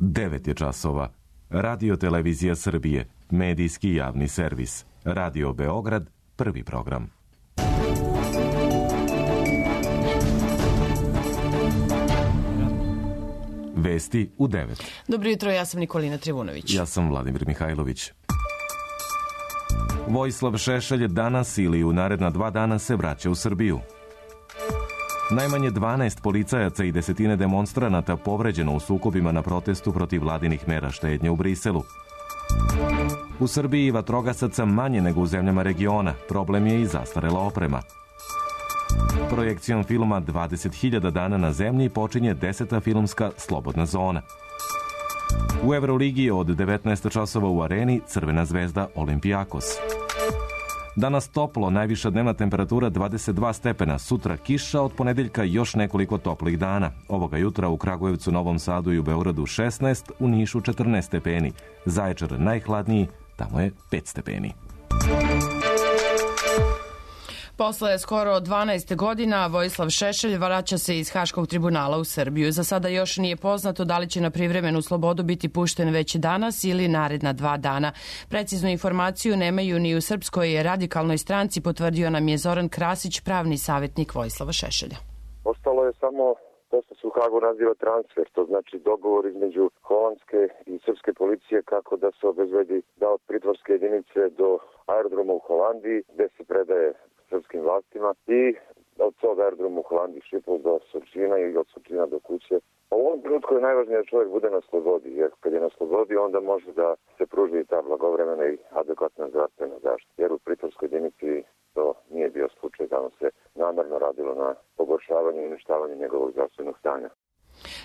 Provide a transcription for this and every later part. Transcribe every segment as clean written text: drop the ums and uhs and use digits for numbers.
9 je časova. Radio Televizija Srbije, medijski javni servis. Radio Beograd, prvi program. Vesti u 9. Dobro jutro, ja sam Nikolina Trivunović. Ja sam Vladimir Mihajlović. Vojislav Šešelj danas ili u naredna 2 dana se vraća u Srbiju. Najmanje 12 policajaca i desetine demonstranata povređeno u sukobima na protestu protiv vladinih mera štednje u Briselu. U Srbiji vatrogasaca manje nego u zemljama regiona. Problem je i zastarela oprema. Projekcijom filma 20.000 dana na zemlji počinje 10. filmska slobodna zona. U Euroligi od 19 časova u Areni Crvena zvezda Olimpijakos. Danas toplo, najviša dnevna temperatura 22 stepena, sutra kiša, od ponedeljka još nekoliko toplih dana. Ovoga jutra u Kragujevcu, Novom Sadu i u Beogradu 16, u Nišu 14 stepeni. Zaječar najhladniji, tamo je 5 stepeni. Posle skoro 12 godina Vojislav Šešelj vraća se iz Haškog tribunala u Srbiju. Za sada još nije poznato da li će na privremenu slobodu biti pušten već danas ili naredna 2 dana. Preciznu informaciju nemaju ni u Srpskoj radikalnoj stranci, potvrdio nam je Zoran Krasić, pravni savjetnik Vojislava Šešelja. Ostalo je samo to što se u Hagu naziva transfer, to znači dogovor između holandske i srpske policije kako da se obezbedi da od pritvorske jedinice do aerodroma u Holandiji gde se predaje srpskim vlastima i od tog aerodroma u Holandiji Šipol do Surčina i od Surčina do kuće. U ovom trenutku je najvažnije da čovjek bude na slobodi, jer kad je na slobodi onda može da se pruži ta blagovremena i adekvatna zdravstvena zaštita. Jer u pritvorskoj jedinici to nije bio slučaj, tamo se namerno radilo na pogoršavanju i uništavanju njegovog zdravstvenog stanja.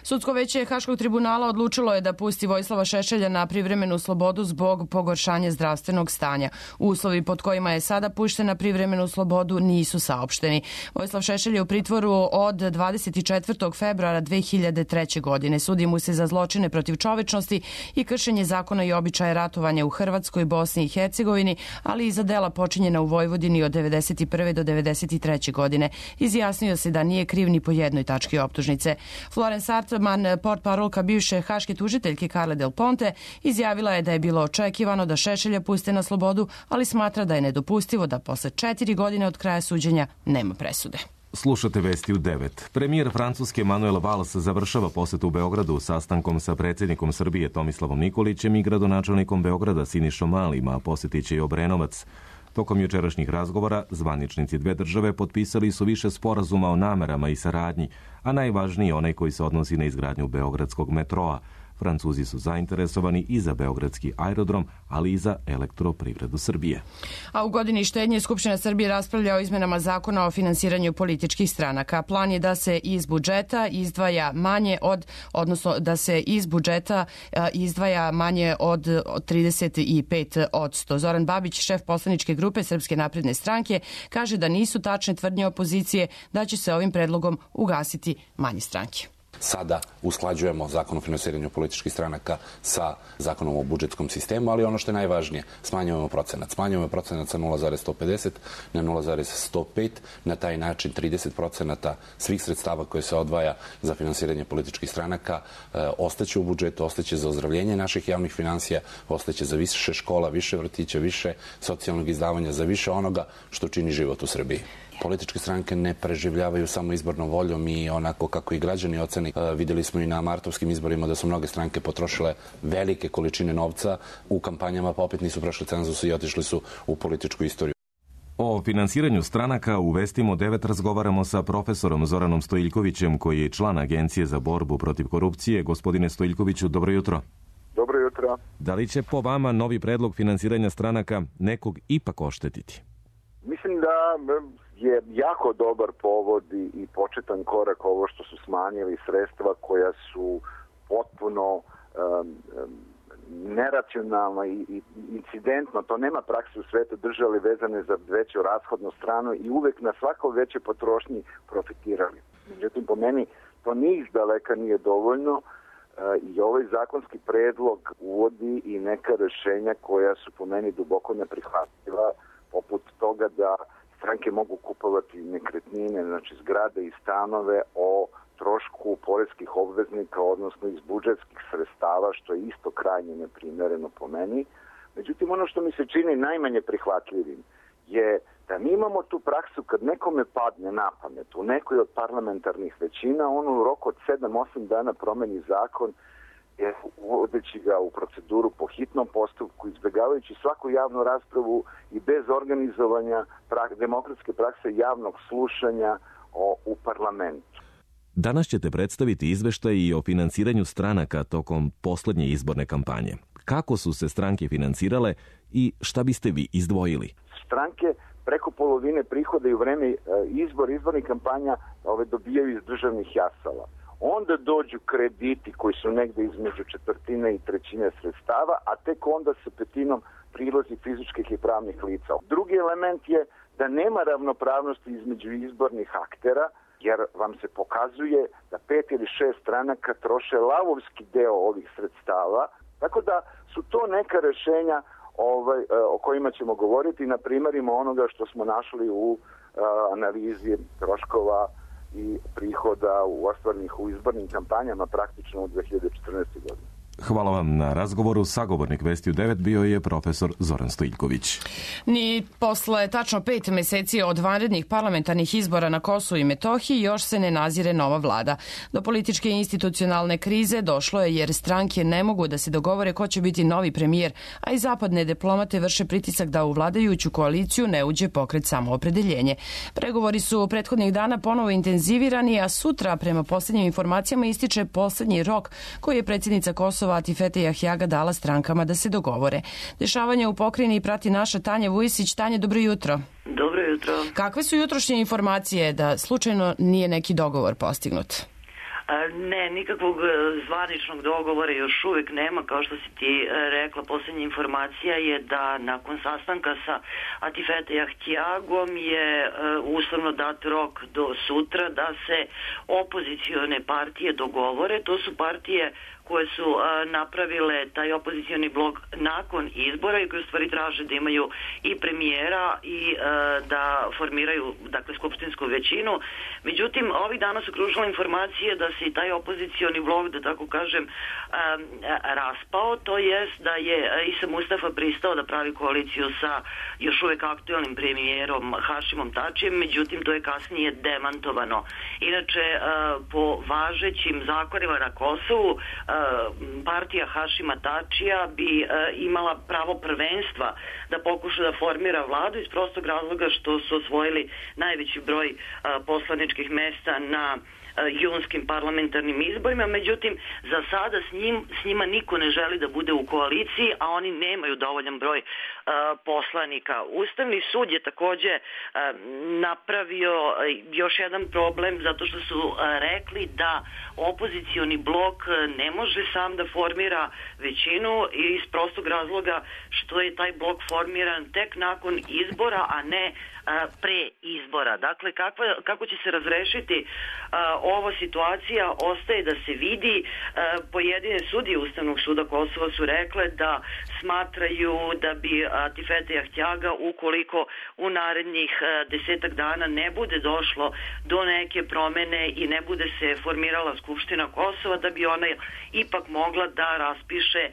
Sudsko veće Haškog tribunala odlučilo je da pusti Vojislava Šešelja na privremenu slobodu zbog pogoršanja zdravstvenog stanja. Uslovi pod kojima je sada pušten na privremenu slobodu nisu saopšteni. Vojislav Šešelj je u pritvoru od 24. februara 2003. godine. Sudi mu se za zločine protiv čovečnosti i kršenje zakona i običaja ratovanja u Hrvatskoj, Bosni i Hercegovini, ali i za dela počinjena u Vojvodini od 91. do 93. godine. Izjasnio se da nije kriv ni po jednoj tački optužnice. Florence Sartman, portparolka bivše haške tužiteljke Carle Del Ponte, izjavila je da je bilo očekivano da Šešelja puste na slobodu, ali smatra da je nedopustivo da posle 4 godine od kraja suđenja nema presude. Slušate vesti u 9. Premijer Francuske Manuel Valls završava posetu u Beogradu sastankom sa predsjednikom Srbije Tomislavom Nikolićem i gradonačelnikom Beograda Sinišom Malim, a posjetit će i Obrenovac. Tokom jučerašnjih razgovora zvaničnici dve države potpisali su više sporazuma o namerama i saradnji, a najvažniji onaj koji se odnosi na izgradnju beogradskog metroa. Francuzi su zainteresovani i za beogradski aerodrom, ali i za elektroprivredu Srbije. A u godini štednje Skupština Srbije raspravlja o izmenama zakona o finansiranju političkih stranaka. Plan je da se iz budžeta izdvaja manje od 35%. Zoran Babić, šef poslaničke grupe Srpske napredne stranke, kaže da nisu tačne tvrdnje opozicije da će se ovim predlogom ugasiti manje stranke. Sada usklađujemo zakon o finansiranju političkih stranaka sa zakonom o budžetskom sistemu, ali ono što je najvažnije, smanjujemo procenat. Smanjujemo procenat sa 0,150 na 0,105. Na taj način 30% svih sredstava koje se odvaja za finansiranje političkih stranaka ostaće u budžetu, ostaće za ozdravljenje naših javnih finansija, ostaće za više škola, više vrtića, više socijalnog izdavanja, za više onoga što čini život u Srbiji. Političke stranke ne preživljavaju samo izbornom voljom i onako kako i građani oceni. Vidjeli smo i na martovskim izborima da su mnoge stranke potrošile velike količine novca u kampanjama, pa opet nisu prošli cenzus i otišli su u političku istoriju. O finansiranju stranaka u Vestima 9 razgovaramo sa profesorom Zoranom Stojiljkovićem, koji je član Agencije za borbu protiv korupcije. Gospodine Stojiljkoviću, dobro jutro. Dobro jutro. Da li će po vama novi predlog finansiranja stranaka nekog ipak oštetiti? Mislim da je jako dobar povod i početan korak ovo što su smanjili sredstva koja su potpuno neracionalno i incidentno, to nema prakse u svetu, držali vezane za veću rashodnu stranu i uvek na svakoj većoj potrošnji profitirali. Međutim, po meni to ni izdaleka nije dovoljno i ovaj zakonski predlog uvodi i neka rešenja koja su po meni duboko neprihvatljiva, poput toga da stranke mogu kupovati nekretnine, znači zgrade i stanove o trošku poreskih obveznika, odnosno iz budžetskih sredstava, što je isto krajnje neprimereno po meni. Međutim, ono što mi se čini najmanje prihvatljivim je da mi imamo tu praksu kad nekome padne na pamet u nekoj od parlamentarnih većina, on u roku od 7-8 dana promeni zakon, uvodeći ga u proceduru po hitnom postupku, izbjegavajući svaku javnu raspravu i bez organizovanja demokratske prakse javnog slušanja u parlamentu. Danas ćete predstaviti izveštaj i o finansiranju stranaka tokom poslednje izborne kampanje. Kako su se stranke finansirale i šta biste vi izdvojili? Stranke preko polovine prihoda i u vreme izbornih kampanja dobijaju iz državnih jasala. Onda dođu krediti koji su negde između četvrtine i trećine sredstava, a tek onda sa petinom prilozi fizičkih i pravnih lica. Drugi element je da nema ravnopravnosti između izbornih aktera, jer vam se pokazuje da 5 ili 6 stranaka troše lavovski deo ovih sredstava, tako da su to neka rešenja o kojima ćemo govoriti na primerima onoga što smo našli u analizi troškova i prihoda ostvarenih u izbornim kampanjama praktično od 2014. godine. Hvala vam na razgovoru. Sagovornik Vesti u 9 bio je profesor Zoran Stojiljković. Ni posle tačno 5 meseci od vanrednih parlamentarnih izbora na Kosovu i Metohiji još se ne nazire nova vlada. Do političke i institucionalne krize došlo je jer stranke ne mogu da se dogovore ko će biti novi premijer, a i zapadne diplomate vrše pritisak da u vladajuću koaliciju ne uđe pokret Samoopredeljenje. Pregovori su prethodnih dana ponovo intenzivirani, a sutra, prema poslednjim informacijama, ističe poslednji rok koji je predsjednica Kosova Atifete Jahjaga dala strankama da se dogovore. Dešavanje u pokrajini prati naša Tanja Vujisić. Tanja, dobro jutro. Dobro jutro. Kakve su jutrošnje informacije da slučajno nije neki dogovor postignut? Ne, nikakvog zvaničnog dogovora još uvijek nema. Kao što si ti rekla, posljednja informacija je da nakon sastanka sa Atifete Jahjagom je uslovno dat rok do sutra da se opozicione partije dogovore. To su partije koje su napravile taj opozicioni blok nakon izbora i koje u stvari traže da imaju i premijera i da formiraju, dakle, skupštinsku većinu. Međutim, ovih dana su kružile informacije da se i taj opozicioni blok, da tako kažem, raspao, to jest da je Isa Mustafa pristao da pravi koaliciju sa još uvijek aktualnim premijerom Hašimom Tačijem, međutim to je kasnije demantovano. Inače, po važećim zakonima na Kosovu, partija Hašima Tačija bi imala pravo prvenstva da pokuša da formira vladu iz prostog razloga što su osvojili najveći broj poslaničkih mesta na junskim parlamentarnim izborima, međutim za sada s njima niko ne želi da bude u koaliciji, a oni nemaju dovoljan broj poslanika. Ustavni sud je takođe napravio još jedan problem zato što su rekli da opozicioni blok ne može sam da formira većinu iz prostog razloga što je taj blok formiran tek nakon izbora, a ne pre izbora. Dakle, kako će se razrešiti ova situacija ostaje da se vidi. Pojedine sudije Ustavnog suda Kosova su rekle da smatraju da bi Atifete Jahjaga, ukoliko u narednih 10 dana ne bude došlo do neke promene i ne bude se formirala Skupština Kosova, da bi ona ipak mogla da raspiše,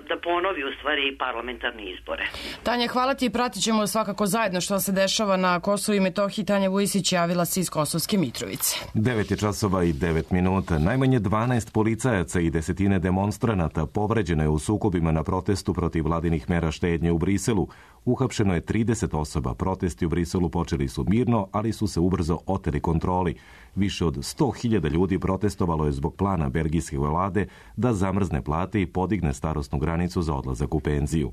da ponovi u stvari parlamentarne izbore. Tanja, hvala ti i pratit ćemo svakako zajedno što se dešava na Kosovu i Metohiji. Tanja Vujisić javila se iz Kosovske Mitrovice. 9 je časova i 9 minuta. Najmanje 12 policajaca i desetine demonstranata povređeno je u sukobima na protestu protiv vladinih mera štednje u Briselu. Uhapšeno je 30 osoba. Protesti u Briselu počeli su mirno, ali su se ubrzo oteli kontroli. Više od 100.000 ljudi protestovalo je zbog plana belgijske vlade da zamrzne plate i podigne starosnu granicu za odlazak u penziju.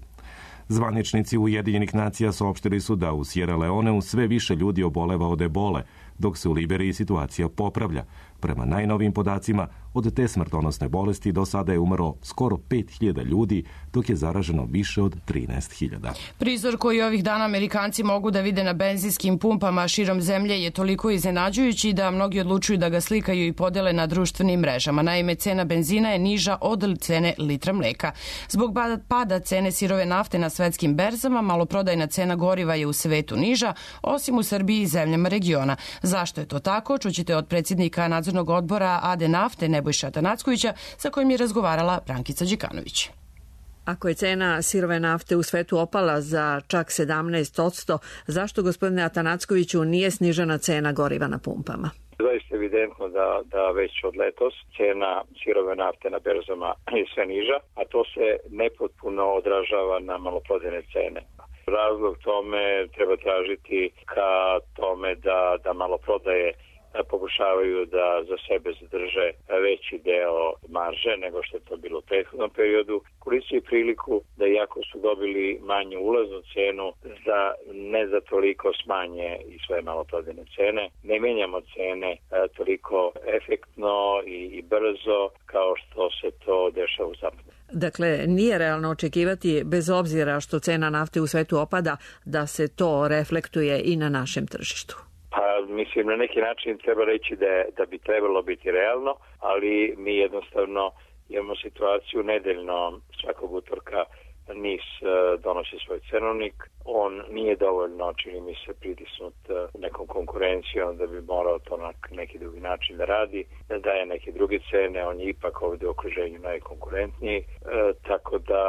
Zvaničnici Ujedinjenih nacija saopštili su da u Sierra Leoneu sve više ljudi oboleva od ebole, dok se u Liberiji situacija popravlja. Prema najnovijim podacima, od te smrtonosne bolesti do sada je umrlo skoro 5.000 ljudi, dok je zaraženo više od 13.000. Prizor koji ovih dana Amerikanci mogu da vide na benzinskim pumpama širom zemlje je toliko iznenađujući da mnogi odlučuju da ga slikaju i podele na društvenim mrežama. Naime, cena benzina je niža od cene litra mleka. Zbog pada cene sirove nafte na svetskim berzama, maloprodajna cena goriva je u svetu niža, osim u Srbiji i zemljama regiona. Zašto je to tako, čućete od predsjednika nadzornog odbora AD Nafte Nebojša Atanackovića, sa kojim je razgovarala Brankica Đikanović. Ako je cena sirove nafte u svetu opala za čak 17%, zašto, gospodine Atanackoviću, nije snižena cena goriva na pumpama? Zaista je evidentno da već od letos cena sirove nafte na berzama je sve niža, a to se nepotpuno odražava na maloprodajne cene. Razlog tome treba tražiti ka tome da maloprodaje pokušavaju da za sebe zadrže veći deo marže nego što je to bilo u prethodnom periodu. Koristio priliku da iako su dobili manju ulaznu cenu, ne za toliko smanje i svoje maloprodajne cene. Ne menjamo cene toliko efektno i brzo kao što se to dešava u zapadu. Dakle, nije realno očekivati, bez obzira što cena nafte u svetu opada, da se to reflektuje i na našem tržištu. Mislim, na neki način treba reći da bi trebalo biti realno, ali mi jednostavno imamo situaciju nedeljno svakog utorka NIS donosi svoj cenovnik. On nije dovoljno, čini mi se, pritisnut nekom konkurencijom da bi morao to na neki drugi način da radi, da daje neke druge cene. On je ipak ovdje u okruženju najkonkurentniji, tako da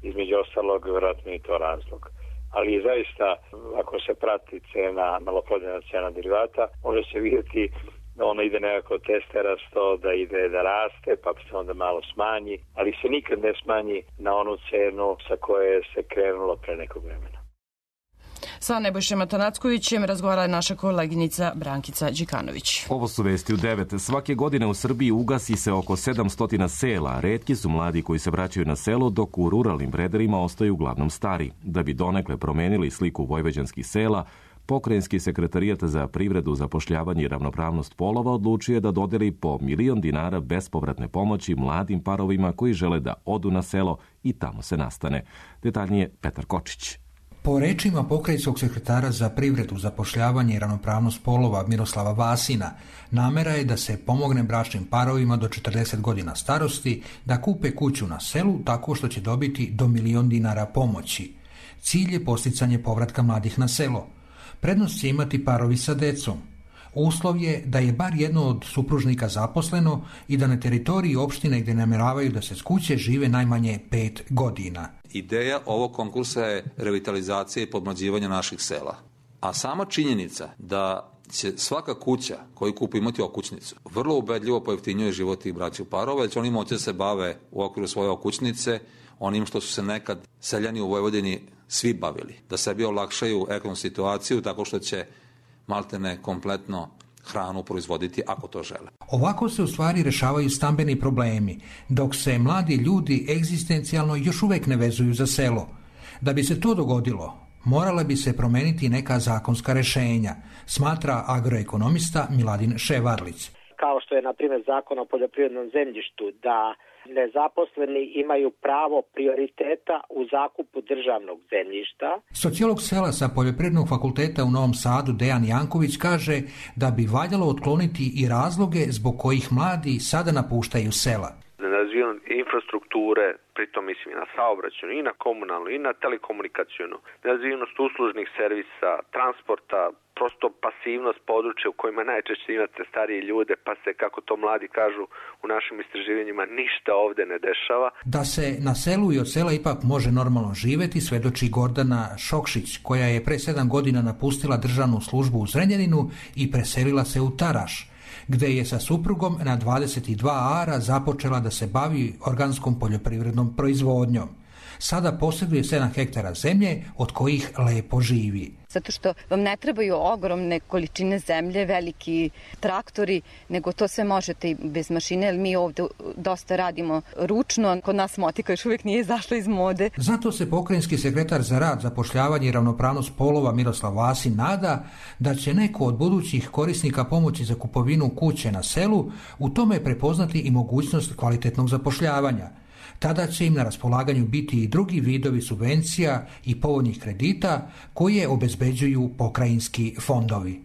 između ostalog vjerojatno i to razlog. Ali zaista, ako se prati cena, maloprodajna cena derivata, može se vidjeti da ona ide nekako testerasto, da ide da raste, pa se onda malo smanji, ali se nikad ne smanji na onu cenu sa koje se krenulo pre nekog vremena. Sa Nebojšem Atanackovićem razgovarala je naša koleginica Brankica Đikanović. Ovo su vesti u 9. Svake godine u Srbiji ugasi se oko 700 sela. Retki su mladi koji se vraćaju na selo, dok u ruralnim predelima ostaju uglavnom stari. Da bi donekle promenili sliku vojvođanskih sela, Pokrajinski sekretarijat za privredu, zapošljavanje i ravnopravnost polova odlučio je da dodeli po 1.000.000 dinara bespovratne pomoći mladim parovima koji žele da odu na selo i tamo se nastane. Detaljnije Petar Kočić. Po rečima pokrajinskog sekretara za privredu, zapošljavanje i ravnopravnost polova Miroslava Vasina, namera je da se pomogne bračnim parovima do 40 godina starosti da kupe kuću na selu tako što će dobiti do 1.000.000 dinara pomoći. Cilj je posticanje povratka mladih na selo. Prednost će imati parovi sa decom. Uslov je da je bar jedno od supružnika zaposleno i da na teritoriji opštine gdje namjeravaju da se s kuće žive najmanje 5 godina. Ideja ovog konkursa je revitalizacija i podmlađivanje naših sela. A sama činjenica da će svaka kuća koju kupi imati okućnicu vrlo ubedljivo pojeftinjuje život tih braćih parova, jer će oni moći da se bave u okviru svoje okućnice onim što su se nekad seljani u Vojvodini svi bavili. Da sebi olakšaju ekonomsku situaciju tako što će maltene kompletno hranu proizvoditi ako to žele. Ovako se u stvari rešavaju stambeni problemi, dok se mladi ljudi egzistencijalno još uvek ne vezuju za selo. Da bi se to dogodilo, morala bi se promeniti neka zakonska rešenja, smatra agroekonomista Miladin Ševarlić. Kao što je, na primjer, Zakon o poljoprivrednom zemljištu, da nezaposleni imaju pravo prioriteta u zakupu državnog zemljišta. Sociolog sela sa Poljoprivrednog fakulteta u Novom Sadu Dejan Janković kaže da bi valjalo otkloniti i razloge zbog kojih mladi sada napuštaju sela. Nerazvijenost infrastrukture, pritom mislim i na saobraćajnu, i na komunalnu, i na telekomunikacijnu, nerazvijenost uslužnih servisa, transporta, prosto pasivnost područja u kojima najčešće imate starije ljude, pa se, kako to mladi kažu u našim istraživanjima, ništa ovde ne dešava. Da se na selu i od sela ipak može normalno živeti, svedoči Gordana Šokšić, koja je pre 7 godina napustila državnu službu u Zrenjaninu i preselila se u Taraš, gde je sa suprugom na 22 ara započela da se bavi organskom poljoprivrednom proizvodnjom. Sada posjeduje 7 hektara zemlje, od kojih lepo živi. Zato što vam ne trebaju ogromne količine zemlje, veliki traktori, nego to sve možete i bez mašine, jer mi ovdje dosta radimo ručno. Kod nas motika još uvijek nije izašla iz mode. Zato se pokrajinski sekretar za rad, zapošljavanje i ravnopravnost polova Miroslav Vasin nada da će neko od budućih korisnika pomoći za kupovinu kuće na selu u tome prepoznati i mogućnost kvalitetnog zapošljavanja. Tada će im na raspolaganju biti i drugi vidovi subvencija i povoljnih kredita koje obezbeđuju pokrajinski fondovi.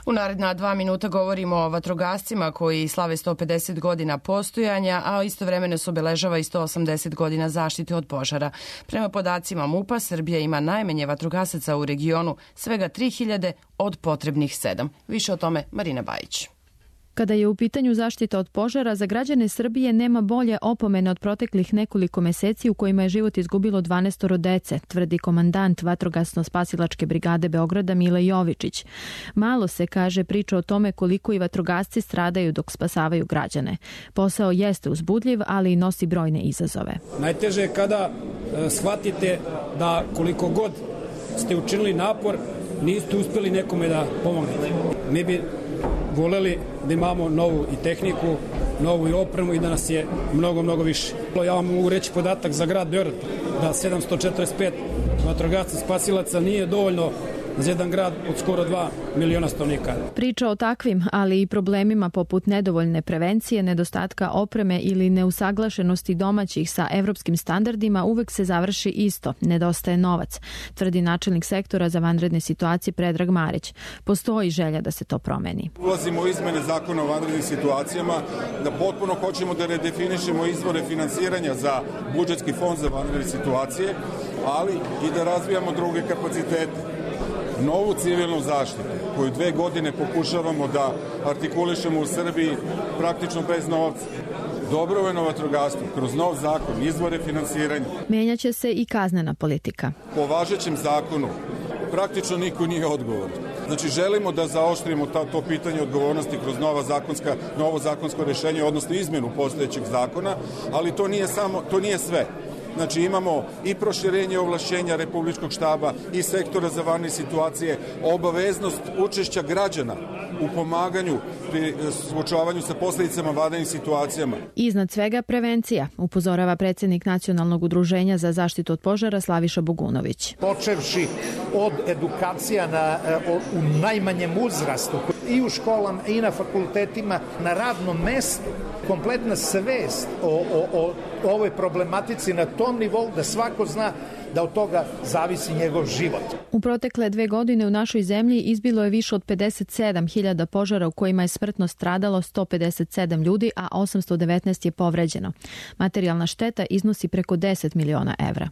U naredna 2 minuta govorimo o vatrogascima koji slave 150 godina postojanja, a istovremeno se obeležava i 180 godina zaštite od požara. Prema podacima MUP-a, Srbija ima najmanje vatrogasaca u regionu, svega 3000 od potrebnih 7. Više o tome Marina Bajić. Kada je u pitanju zaštita od požara, za građane Srbije nema bolje opomene od proteklih nekoliko meseci u kojima je život izgubilo 12 dece, tvrdi komandant Vatrogasno-spasilačke brigade Beograda Mile Jovičić. Malo se, kaže, priča o tome koliko i vatrogasci stradaju dok spasavaju građane. Posao jeste uzbudljiv, ali i nosi brojne izazove. Najteže je kada shvatite da koliko god ste učinili napor, niste uspjeli nekome da pomognete. Mi bi voleli da imamo novu i tehniku, novu i opremu i da nas je mnogo više. Ja vam mogu reći podatak za grad Beograd, da 745 vatrogasca spasilaca nije dovoljno za jedan grad od skoro 2 miliona stanovnika. Priča o takvim, ali i problemima poput nedovoljne prevencije, nedostatka opreme ili neusaglašenosti domaćih sa evropskim standardima uvek se završi isto, nedostaje novac, tvrdi načelnik sektora za vanredne situacije Predrag Marić. Postoji želja da se to promeni. Ulazimo u izmene zakona o vanrednim situacijama, da potpuno hoćemo da redefinišemo izvore finansiranja za budžetski fond za vanredne situacije, ali i da razvijamo druge kapacitete. Novu civilnu zaštitu, koju 2 godine pokušavamo da artikulišemo u Srbiji praktično bez novca. Dobrovoljno vatrogastvo, kroz nov zakon, izvore finansiranja. Menjaće se i kaznena politika. Po važećem zakonu praktično niko nije odgovoran. Znači, želimo da zaoštrimo to pitanje odgovornosti kroz novo zakonsko rešenje, odnosno izmenu postojećeg zakona, ali to nije sve. Znači, imamo i proširenje ovlašćenja Republičkog štaba i sektora za vanredne situacije, obaveznost učešća građana u pomaganju pri suočavanju sa posljedicama vanrednih situacijama. Iznad svega prevencija, upozorava predsjednik Nacionalnog udruženja za zaštitu od požara Slaviša Bogunović. Počevši od edukacija u najmanjem uzrastu i u školama i na fakultetima, na radnom mestu, kompletna svest o ovoj problematici na tom nivou da svako zna da od toga zavisi njegov život. U protekle 2 godine u našoj zemlji izbilo je više od 57.000 požara u kojima je smrtno stradalo 157 ljudi, a 819 je povređeno. Materijalna šteta iznosi preko 10 miliona evra.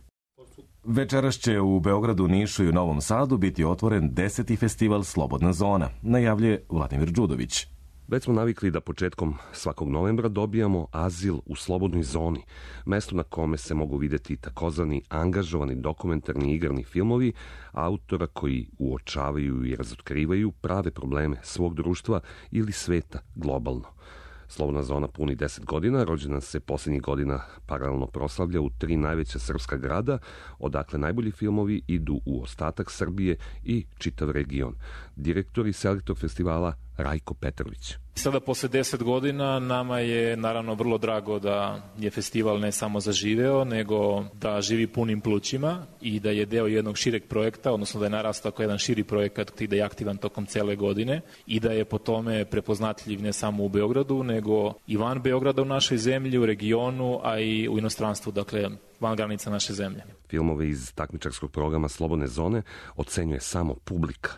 Večeras će u Beogradu, Nišu i u Novom Sadu biti otvoren 10. festival Slobodna zona, najavljuje Vladimir Đudović. Već smo navikli da početkom svakog novembra dobijamo azil u slobodnoj zoni, mesto na kome se mogu vidjeti takozvani angažovani dokumentarni igrani filmovi autora koji uočavaju i razotkrivaju prave probleme svog društva ili sveta globalno. Slobodna zona puni 10 godina, rođena se posljednjih godina paralelno proslavlja u 3 najveća srpska grada, odakle najbolji filmovi idu u ostatak Srbije i čitav region. Direktor i selektor festivala Rajko Petrović. Sada posle 10 godina nama je naravno vrlo drago da je festival ne samo zaživeo, nego da živi punim plućima i da je deo jednog šireg projekta, odnosno da je narastao kao jedan širi projekat i da je aktivan tokom cele godine i da je po tome prepoznatljiv ne samo u Beogradu, nego i van Beograda u našoj zemlji, u regionu, a i u inostranstvu, dakle van granica naše zemlje. Filmove iz takmičarskog programa Slobodne zone ocenjuje samo publika.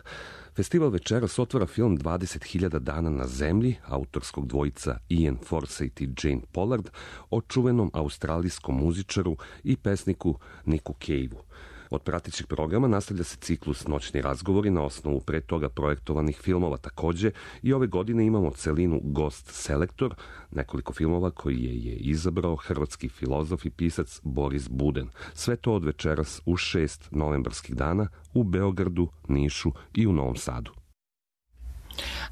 Festival večeras otvara film 20.000 dana na zemlji, autorskog dvojica Ian Forsyth i Jane Pollard, o čuvenom australijskom muzičaru i pesniku Nicku Cave-u. Od pratećeg programa nastavlja se ciklus Noćni razgovori na osnovu pre toga projektovanih filmova. Također i ove godine imamo celinu Gost Selektor, nekoliko filmova koji je izabrao hrvatski filozof i pisac Boris Buden. Sve to od večeras u 6 novembarskih dana u Beogradu, Nišu i u Novom Sadu.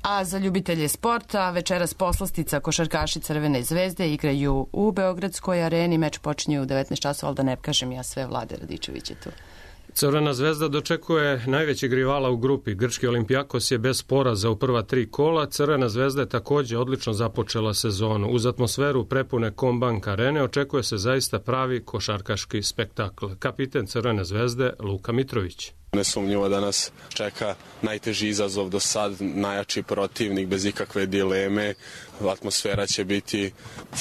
A za ljubitelje sporta, večeras poslastica košarkaši Crvene zvezde igraju u Beogradskoj areni. Meč počinje u 19 časova, ali da ne kažem ja sve, Vlade Radičević je tu. Crvena zvezda dočekuje najvećeg rivala u grupi. Grčki Olimpijakos je bez poraza u prva 3 kola. Crvena zvezda je također odlično započela sezonu. Uz atmosferu prepune Combank arene očekuje se zaista pravi košarkaški spektakl. Kapiten Crvene zvezde Luka Mitrović. Nesumnjivo da nas čeka najteži izazov do sad, najjači protivnik bez ikakve dileme. Atmosfera će biti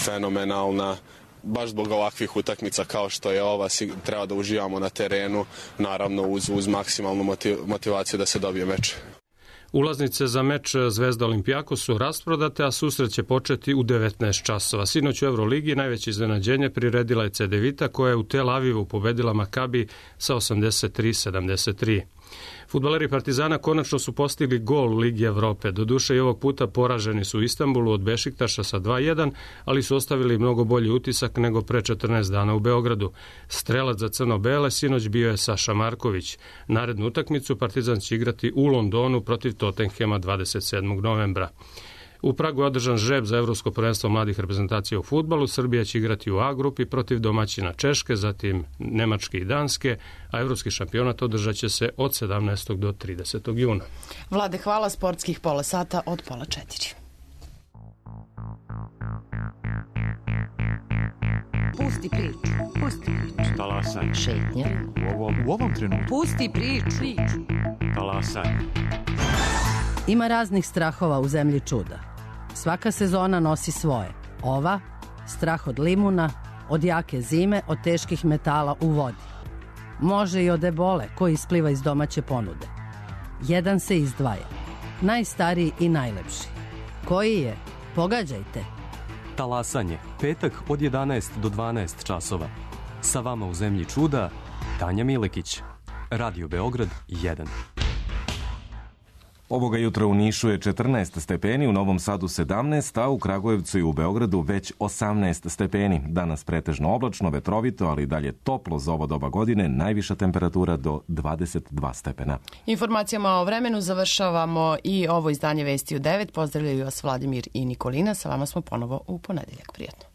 fenomenalna. Baš zbog ovakvih utakmica kao što je ova, treba da uživamo na terenu, naravno uz maksimalnu motivaciju da se dobije meč. Ulaznice za meč Zvezda Olimpijakos su rasprodate, a susret će početi u 19 časova. Sinoć u Euroligi najveće iznenađenje priredila je Cedevita, koja je u Tel Avivu pobedila Makabi sa 83-73. Fudbaleri Partizana konačno su postigli gol u Ligi Evrope. Doduše i ovog puta poraženi su u Istanbulu od Bešiktaša sa 2-1, ali su ostavili mnogo bolji utisak nego pre 14 dana u Beogradu. Strelac za crno-bele sinoć bio je Saša Marković. Narednu utakmicu Partizan će igrati u Londonu protiv Tottenhema 27. novembra. U Pragu je održan žreb za Evropsko prvenstvo mladih reprezentacija u fudbalu. Srbija će igrati u A grupi protiv domaćina Češke, zatim Nemačke i Danske, a evropski šampionat održat će se od 17. do 30. juna. Vlade, hvala. Sportskih pola sata od 3:30. Pusti priču. Pusti priču. Talasaj. Šetnja. U ovom trenutku. Pusti priču. Talasaj. Ima raznih strahova u zemlji čuda. Svaka sezona nosi svoje. Ova, strah od limuna, od jake zime, od teških metala u vodi. Može i od ebole koji ispliva iz domaće ponude. Jedan se izdvaja. Najstariji i najlepši. Koji je? Pogađajte. Talasanje, petak od 11 do 12 časova. Sa vama u zemlji čuda, Tanja Milekić. Radio Beograd 1. Ovoga jutra u Nišu je 14 stepeni, u Novom Sadu 17, a u Kragujevcu i u Beogradu već 18 stepeni. Danas pretežno oblačno, vetrovito, ali dalje toplo za ovo doba godine, najviša temperatura do 22 stepena. Informacijama o vremenu završavamo i ovo izdanje Vesti u 9. Pozdravljaju vas Vladimir i Nikolina. Sa vama smo ponovo u ponedeljak. Prijetno.